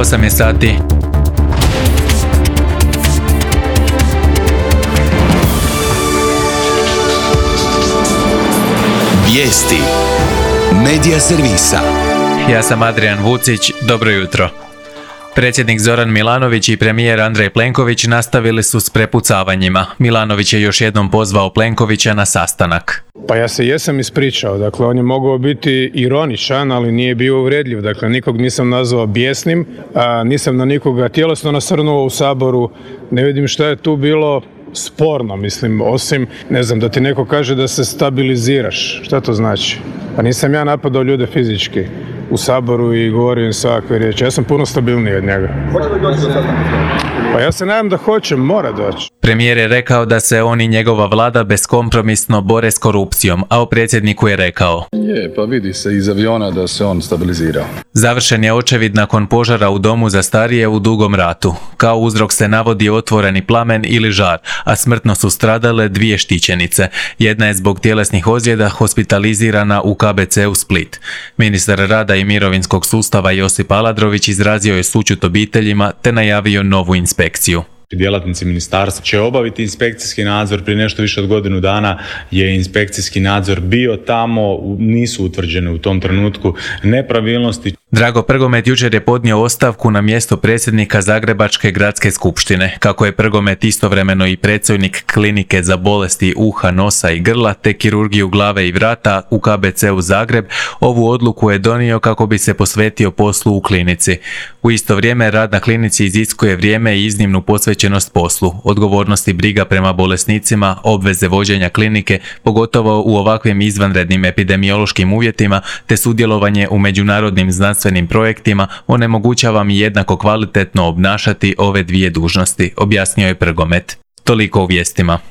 8 je sati. Vijesti Medija servisa. Ja sam Adrian Vucić, dobro jutro. Predsjednik Zoran Milanović i premijer Andrej Plenković nastavili su s prepucavanjima. Milanović je još jednom pozvao Plenkovića na sastanak. Pa ja se jesam ispričao, dakle on je mogao biti ironičan, ali nije bio uvredljiv, dakle nikog nisam nazvao bijesnim, nisam na nikoga tjelesno nasrnuo u Saboru, ne vidim šta je tu bilo sporno, mislim, osim, ne znam, da ti neko kaže da se stabiliziraš, šta to znači? Pa nisam ja napadao ljude fizički u Saboru i govorio im svakakve riječi, ja sam puno stabilniji od njega. Hoće li doći do sastanka? Pa ja se nadam da hoće, mora doći. Premijer je rekao da se on i njegova vlada beskompromisno bore s korupcijom, a o predsjedniku je rekao: Pa vidi se iz aviona da se on stabilizirao. Završen je očevid nakon požara u domu za starije u Dugom Ratu. Kao uzrok se navodi otvoreni plamen ili žar, a smrtno su stradale 2 štićenice. Jedna je zbog tjelesnih ozljeda hospitalizirana u KBC-u Split. Ministar rada i mirovinskog sustava Josip Aladrović izrazio je sućut obiteljima te najavio novu inspekciju. Djelatnici ministarstva će obaviti inspekcijski nadzor. Prije nešto više od godinu dana je inspekcijski nadzor bio tamo, nisu utvrđene u tom trenutku nepravilnosti. Drago Prgomet jučer je podnio ostavku na mjesto predsjednika Zagrebačke gradske skupštine. Kako je Prgomet istovremeno i predstojnik klinike za bolesti uha, nosa i grla te kirurgiju glave i vrata u KBC-u Zagreb, ovu odluku je donio kako bi se posvetio poslu u klinici. U isto vrijeme rad na klinici iziskuje vrijeme i iznimnu posvećenost poslu, odgovornost i briga prema bolesnicima, obveze vođenja klinike, pogotovo u ovakvim izvanrednim epidemiološkim uvjetima, te sudjelovanje u međunarodnim znanstvenim projektima onemogućava mi jednako kvalitetno obnašati ove 2 dužnosti, objasnio je Prgomet. Toliko u vijestima.